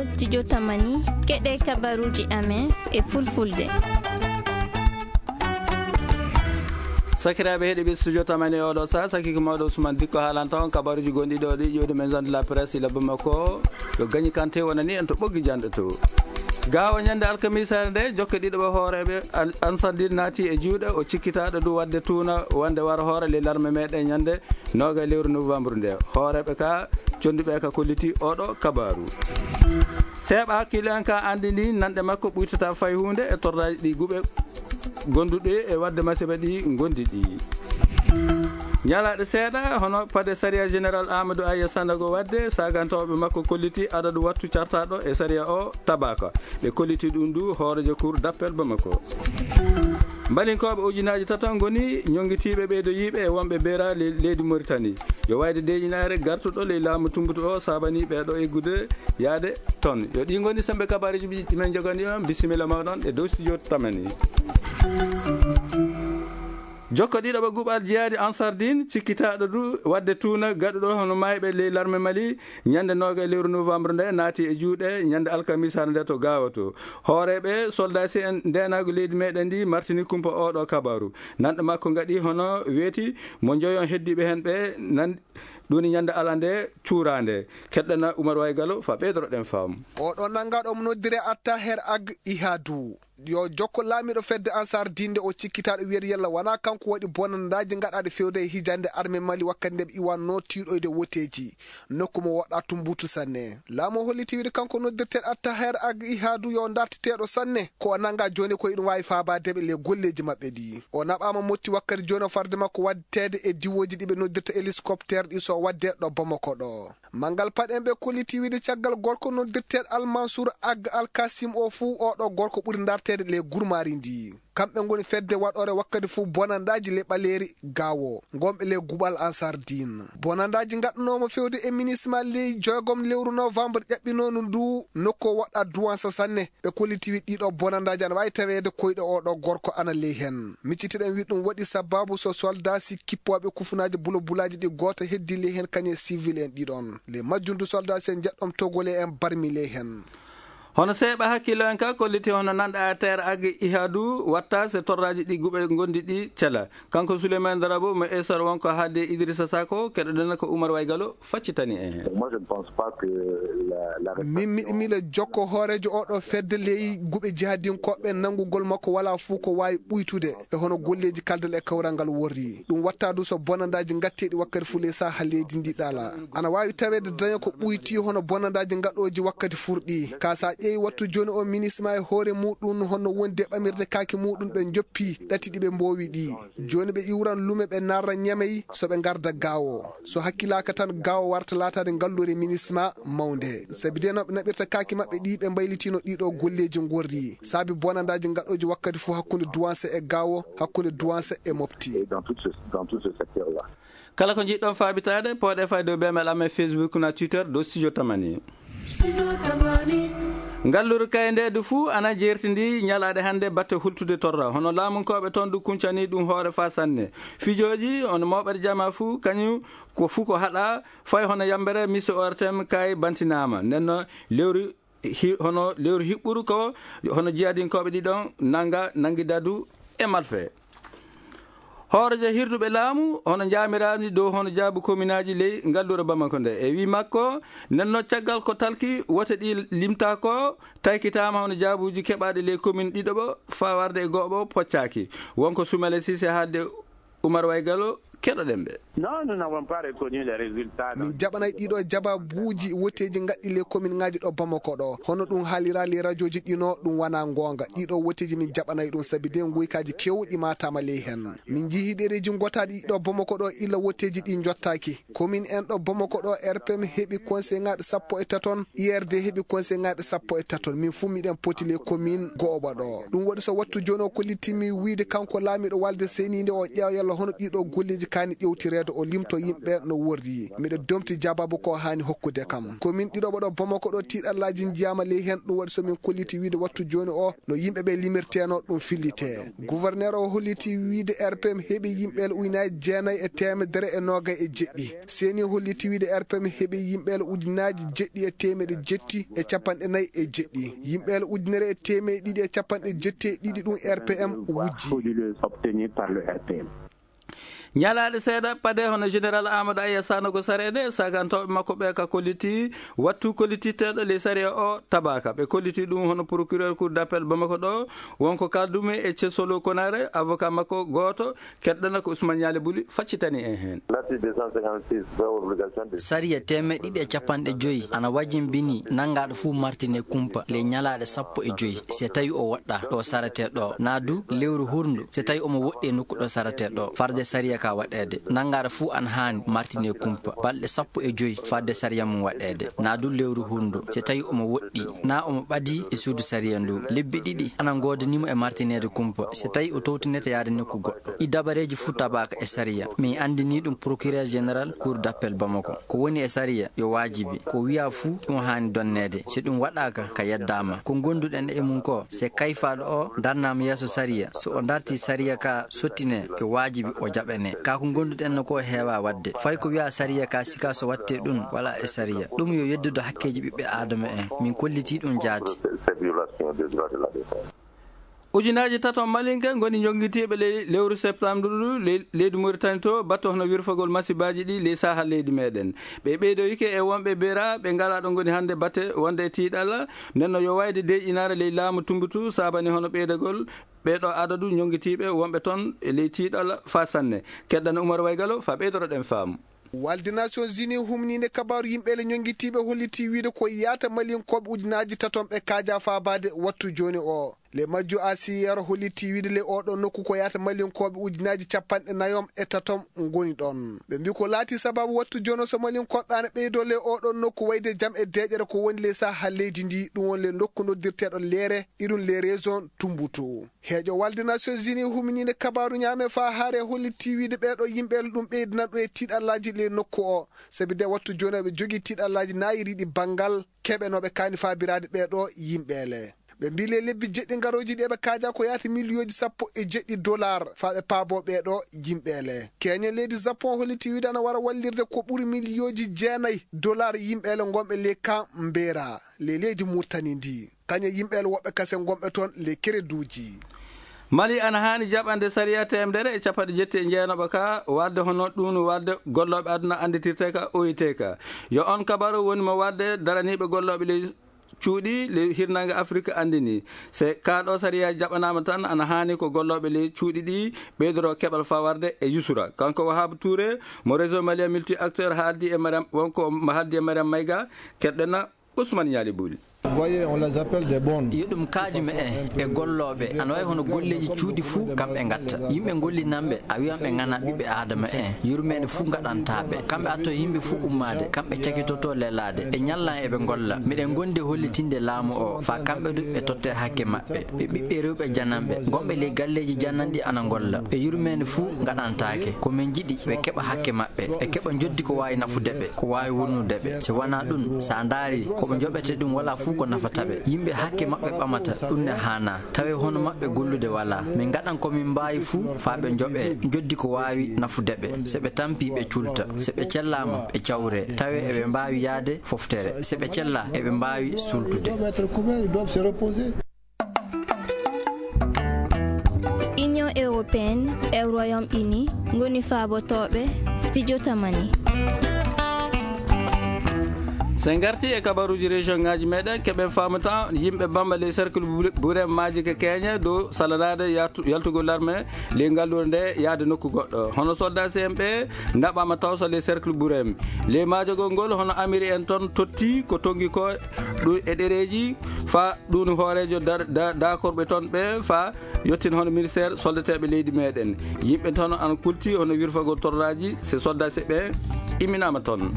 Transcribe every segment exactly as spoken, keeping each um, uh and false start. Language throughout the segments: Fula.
Studio Tamani, keɗe kabaruji amen e fulfulde. Sakiraaɓe heɗiɓe Studio Tamani e oɗo sa, sakiko mawɗo Ousmane Dikko haalanta on kabaruji gonɗi ɗo ɗi ƴewde maison de la presse ila Bamako. Yo gañi kante wonani en to ɓoggi janɗo to. Gawa ñande alkamisare nde, jokke ɗiɗo ɓe hooreɓe Al-, Ansardine naati e juuɗe o cikkitaɗo du wadde tuuna wonde wara hoore ley larme meɗen ñande noga e lewru novembre nde. Hooreɓe ka, conduɓe ka kolliti oɗo kabaru. Seeɓa hakkille en ka andi ni nanɗe makko ɓuytata fay hunde e torraji ɗi guɓe gonduɗe e wadde masiba ɗi gondi ɗi. Ñalaɗe seeɗa, hono pade sariya général Amadou Aya Sandago wadde, sagantoɓe makko kolliti adadu wattu cartaɗo e sariya o tabaka. Ɓe kolliti ɗum du hoorejo cour d'appel Bamako. Mbalinkoɓe ujunaji tata ngoni ñongitiɓe ɓeydo yiɓe e wonɓe beera le-, leydi Mauritanie. Yo wayde deƴinare gartuɗo ley laamu tumbutu o sabani ɓeɗo eggude yaade ton. Yo ɗi ngoni sembe kabaruji ɗi men jogani on. Bisimilla mawɗon e dow studio Tamani. Jokko ɗiɗo ɓe guɓal jeyaadi Ansardine, cikkitaɗo du wadde tuuna gaɗuɗo hono mayɓe ley larme Mali, ñande noga e lewru novembre nde naati e juuɗe ñande alkamisare nde to Gawo to. Hooreɓe soldasi en ndenagu leydi meɗen ndi martini kumpa oɗo kabaru. Nanɗo makko gaɗi hono weeti mo joyon heddiɓe hen ɓe nan-, ɗum woni ñande ala nde cuurande. Keɗɗana Oumar Waygalo fa ɓeydoroɗen faamu. Oɗo nangaɗo mo noddire Attaher Ag Ihadu. Yo jokko laamiɗo fedde Ansar Dinde o cikkitaɗo wiyede yalla wona kanko waɗi bonandaji gaɗaɗe fewde e hijande arme Mali wakkati nde ɓe iwanno tiiɗoyde woteji nokku mo woɗɗa tumbutu sanne. Laamu o holliti wiyde kanko noddirteɗo Attaher Ag Ihadu yo darteteɗo sanne ko o nanga joni ko iɗum wawi fabadeɓe le golleji maɓɓe ɗi. O naɓama motti wakkati joni o farde makko waddede e diwoji ɗiɓe noddirta hélicoptère ɗi so wadde ɗo Bamako ɗo. Manngal paɗen ɓe kolliti wiyde caggal gorko noddirteɗo Al Mansour Ag Al Kasim o fuu oɗo gorko ɓuri darteede le gurmaari ndi. Kamɓe ngoni fedde waɗore wakkati fuu bonandaji le ɓaleeri Gawo, gonɓe le guɓal Ansar Din. Bonandaji gaɗɗanomo fewde e minisma ley joygom lewru novembre ƴaɓɓinono ndu nokku o woɗɗa duwansa sanne. Ɓe kolliti wi ɗiɗo bonandaji ana wawi taweede koyɗe oɗo gorko ana ley hen. Miccitiɗen wi ɗum waɗi sababu so soldasi kippoɓe kufunaji bulobulaji ɗi goto heddi ley hen kañe civil en ɗiɗon. Le majjundu soldasi en jeɗɗom togole en barmi ley hen. Hono seeɓa hakkillo en ka kolliti hono nanɗa terre Ag Ihadu watta se torraji ɗi guɓe gondi ɗi cela. Kanko Souleymane Darabo mo Esor wonko haalde Idrissa Sako, keɗoɗen ko Oumar Waygalo faccitani en. Moi, je ne pense pas que la, la min miɗo mila jokko hoorejo oɗo fedde ley guɓe jihadinkoɓe nanngugol makko wala fuu ko wawi ɓuytude e hono golleji kaldal e kawral ngal worri. Ɗum watta du so bonandaji gatteɗi wakkati fuu ley saha leydi ndi ɗala. Ana wawi taweede daña ko ɓuyti hono bonandaji gaɗoji wakkati furɗi. Ka sa ƴeewi wattu joni o minisma e hoore muɗum hono wondi e ɓamirde kaaki muɗum ɓe joppi ɗati ɗi ɓe mbowi ɗi. Joni ɓe iwran lume ɓe narra Ñamey so ɓe garda Gawo. So hakkilaka tan Gawo warta latade ngallure minisma mawnde. Sabi de no ɓe naɓirta kaaki maɓɓe ɗi ɓe mbaylitino ɗiɗo golleji gorri. Sabi bonandaji gaɗoji wakkati fuu hakkunde Duwansa e Gawo, hakkunde Duwansa e Mopti. Et dans tout ce, dans tout ce secteur-là. Kala ko jiɗɗon faabitaade, pooɗe fay dow bemel amen Facebook na Twitter dow Studio Tamani. Ngalluru kay nde du fuu ana jertindi ñalaɗe hannde batte hultude torra. Hono laamunkooɓe toon du kuncani ɗum hoore faa sanne. Fijooji, hono mooɓere jama fuu, kañum ko fuu ko haɗa, fay hono yambere, mise O R T M kay bantinaama. Nden no lewru hi-, hono lewru hiɓɓuru ko hono jiyadinkooɓe ɗiɗon nanga, nangi dadu e malfe. Hoorejo hirduɓe laamu hono jaamirani dow hono jaabu kominaaji ley ngallure Bamako nde. E wi makko, nenno caggal ko talki wote ɗi limta ko, taykitaama hono jaabuji keɓaaɗi ley komin ɗiɗo ɓo, faa warde e go'o ɓo poccaaki. Wonko Sumele Sise haalde Oumar Waygalo, keɗoɗen ɓe. Non, nous n'avons pas reconnu les résultats. Min jaɓanay ɗiɗo jababuuji woteeji gaɗɗi ley komin ŋaaji ɗo Bamako ɗo. Hono ɗum haalira ley rajoji ɗino, ɗum wana goonga. Ɗiɗo woteeji min jaɓanay ɗum sabi de nguykaji kewɗi matama ley hen. Min jii ɗereji gotaɗi ɗo Bamako ɗo illa woteeji ɗi jottaaki. Komin en ɗo Bamako ɗo, R P M heɓi conseil ŋaaɓe sappo e taton, I R D heɓi conseil ŋaaɓe sappo e taton. Min fuu miɗen poti ley komin go'oɓa ɗo. Ɗum waɗi so wattu joni o kollitimi wiide kanko laamiɗo walde seniinde o ƴeewa yalla hono ɗiɗo golleeji kaani ƴewtire O limto yimɓe no worri. Miɗo domti jabaabu ko haani hokkude kam. Komin ɗiɗo ɓo ɗo Bamako ɗo, tiiɗallaaji njiyaama ley heen. Ɗum waɗi so min kolliti wiide wattu jooni o, no yimɓe ɓe limirteno ɗum fillite. Gouverneur o holliti wiide R P M heɓi yimɓe ujunaaji jeenayi e teemedere e noogay e jeɗɗi. Seni holliti wiide R P M heɓi yimɓe ujunaaji jeɗɗi e teemedde jeɗɗi e capanɗe nayi e jeɗɗi. Yimɓe ujunere e teemedde ɗiɗi e capanɗe jeɗɗi e ɗiɗi ɗum R P M wujji. Frauduleux obtenus par le R P M. Ñalaaɗe seeɗa pade, hono général Amadou Aya Sanogo Sareede, sagantooɓe makko ɓe ka kolliti wattu kollititteeɗo ley sariya o tabaaka. Ɓe kolliti ɗum hono procureur cour d'appel Bamako ɗo, wonko kaldumi e Cesolo Konare, avocat makko gooto, keɗɗana ko Ousmane Ñaali Buli faccitani en heen. L'article deux cent cinquante-six fait obligation de Sariya teemeɗɗe ɗiɗi e capanɗe joyi ana wajimbini nanngaaɗo fuu martine kumpa ley ñalaaɗe sappo e joyi, si tawi o woɗɗaa ɗo saretee ɗo, naa du lewru hurndu, si tawi omo woɗɗi e nokku ɗo saretee ɗo, farde sariya ka waɗeede. Nanngaaɗo fuu ana haani martine kumpa balɗe sappo e joyi farde sariya mum waɗeede, naa du lewru hurndu, si tawi omo woɗɗi, naa omo ɓadii e suudu sariya ndu. Lebbi ɗiɗi ana ngoodani mo e martineede kumpa, si tawi o towtinete yaade nokku goɗɗo. Ɗi dabareeji fuu tabaaka e sariya. Min anndinii ɗum procureur général cour d'appel Bamako. Ko woni e sariya yo waajibi. Ko wiyaa fuu ɗum haani donneede. Si ɗum waɗaaka, ka yeddaama. Ko ngonduɗen e mum ko, si kayfaaɗo o darnaama yeeso sariya, so o dartii sariya ka sottinee, yo waajibi o jaɓanee. Ka ko ngonduɗen no ko heewaa waɗde. Fay ko wiyaa sariya ka sikaa so waɗtee ɗum, walaa e sariya. Ɗum yo yeddude hakkeeji ɓiɓɓe aadama en. Min kollitii ɗum jaati. Cette violation des droits de la défense. Ujunaaji tato malinke ngoni njongitiiɓe ley lewru septembre ndu ley-, leydi Mauritanie to, batte hono wirfagol masibaaji ɗi ley saaha leydi meɗen. Ɓe ɓeydoyike e wonɓe beera ɓe ngalaa ɗo ngoni hannde batte wonde e tiiɗalla. Nden no yo wayde deeƴinaare ley laamu Tumbutu saabani hono ɓeydagol ɓee ɗo adadu njongitiiɓe wonɓe toon e ley tiiɗalla faa sanne. Keɗɗana Umar Waygalo faa ɓeydoroɗen faamu. Walde Nations Unies humniinde kabaaru yimɓe le ñonngitiiɓe holliti wiide ko yaata malinkooɓe ujunaaji taton ɓe kaaja faabaade wattu jooni o. Le majju Asiyero holliti wiide le oɗo nokku ko yaata malinkooɓe ujunaaji capanɗe nayom e tatom ngoni ɗon. Ɓe mbi ko laati sababu wattu jooni o so malinkooɓe ana ɓeydo le oɗo nokku wayde jam e deeƴere ko woni le saha leydi ndi, ɗum woni le nokku noddirteeɗo leere, iɗum le région Tumbutu. Heeƴo walde Nations Unies huminiinde kabaaru ñaame faa haare holliti wiide ɓee ɗo yimɓe ɗum ɓeydina ɗum e tiiɗallaaji le nokku o. Sabi de wattu jooni eɓe jogii tiiɗallaaji naayiriiɗi banngal keɓenooɓe kaani faabiraade ɓee ɗo yimɓe le. Ɓe mbii le lebbi jeɗɗi ngarooji ɗi eɓe kaaja ko yaati miliyooji sappo e jeɗɗi dollar faa ɓe paaboo ɓee ɗo yimɓe le. Keeñe leydi Japon holliti wiide ana wara wallirde ko ɓuri miliyooji jeenayi dollar yimɓe le ngonɓe le kan mbeera le leydi Murtani ndi. Kañe yimɓe le woɓɓe kasen gonɓe toon le kereduuji. Mali ana haani jaɓande sariya teemedere e capanɗe jetti e jeenaɓa ka, waɗde hono ɗum waɗde gollooɓe aduna annditirte ka O I T ka. Yo on kabaru woni mo waɗde daraniiɓe gollooɓe ley cuuɗi ley hirnaange Afrik anndini. Se kaa ɗo sariya jaɓanaama tan, ana haani ko gollooɓe ley cuuɗi ɗi ɓeydoro keɓal fawarde e yusura. Kanko Wahab Touré mo réseau malien multi acteur haaldi e Mariam, wonko mo haaldi e Mariam Mayga, keɗɗena Ousmane Ñaali Buli. Voyez, on les appelle des bons. Yo ɗum kaaju me en e gollooɓe, ana wayi hono golleeji cuuɗi fuu, kamɓe ngatta. Yimɓe ngollinanɓe, a wiyan ɓe ngana ɓiɓɓe Aadama en. Yurmeende fuu ngaɗantaa ɓe. Kamɓe atto yimɓe fuu ummaade, kamɓe cakitoto lelaade. Ɓe ñallan eɓe ngolla. Miɗen ngondi hollitinde laamu o, faa kamɓe du ɓe totte hakke maɓɓe. Ɓe ɓiɓɓe rewɓe jananɓe, gonɓe ley galleeji jananɗi ana ngolla. Ɓe yurmeende fuu ngaɗantaake. Ko min njiɗi, ɓe keɓa hakke maɓɓe. Ɓe keɓa njoddi ko waawi nafude ɓe, ko waawi wurnude ɓe. Si wanaa ɗum, so a ndaari, ko ɓe njoɓete ɗum walaa fuu ko nafata ɓe. Yimɓe hakke maɓɓe ɓamata, ɗum ne haanaa. Tawee hono maɓɓe gollude walaa. Min ngaɗan ko min mbaawi fuu faa ɓe njoɓee njoddi ko waawi nafude ɓe. So ɓe tampii, ɓe culta. So ɓe cellaama, ɓe cawree. Tawee eɓe mbaawi yahde foftere. So ɓe cellaa, eɓe mbaawi suultude. Union européenne e Royaume-Uni ngoni faabotooɓe studio Tamani. So en ngartii e kabaruuji région ŋaaji meɗen, keɓen faamu tan yimɓe Bamba ley cercle Bure-, Burem maaji ke keeñe dow salanaade yaltu-, yaltugol larme ley ngalluure nde yahde nokku goɗɗo. Hono soldat C M ɓe naɓaama tawsa ley cercle Burem. Ley maajagol ngol, hono Amiri en toon totti ko tonngi ko ɗum e ɗereeji faa ɗum hooreejo dar-, da-, daakorɓe toon ɓe faa yettin hono ministère soldateeɓe leydi meɗen. Yimɓe toon ana kulti hono wirfagol torraaji, se soldat seɓɓe imminaama toon.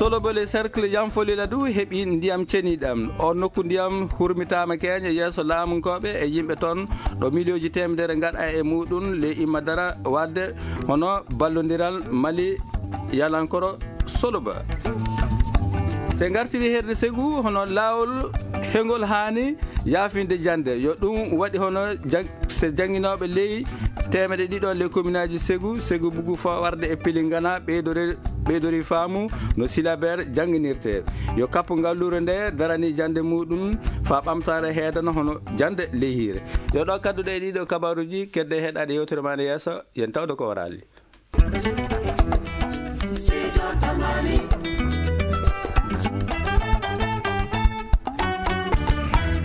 Solobele cercle Yanfolila du heɓi ndiyam ceniɗam. O nokku ndiyam hurmitaama keeñe yeeso laamunkooɓe e yimɓe toon, ɗo miliyooji teemedere ngaɗa e muɗum le imma dara waɗde hono ballondiral Mali yalankoro Soloba. Se ngartiri herde segu hono laawol hengol haani yaafinde jannde, yo ɗum waɗi hono jang-, se jannginooɓe ley teemedde ɗiɗo le kominaaji segu, segu bugu fawarde e Pilingana ɓeydore-, ɓeydori faamu no silabeer jannginirte. Yo kappu ngalluure nde darani jannde muɗum faa ɓamtaare heedana hono jannde ley hiire. Yo ɗo kadduɗe e ɗiɗo kabaaruuji, kedde heɗaade yewtere ma ne yeeso, yen tawde ko waraali.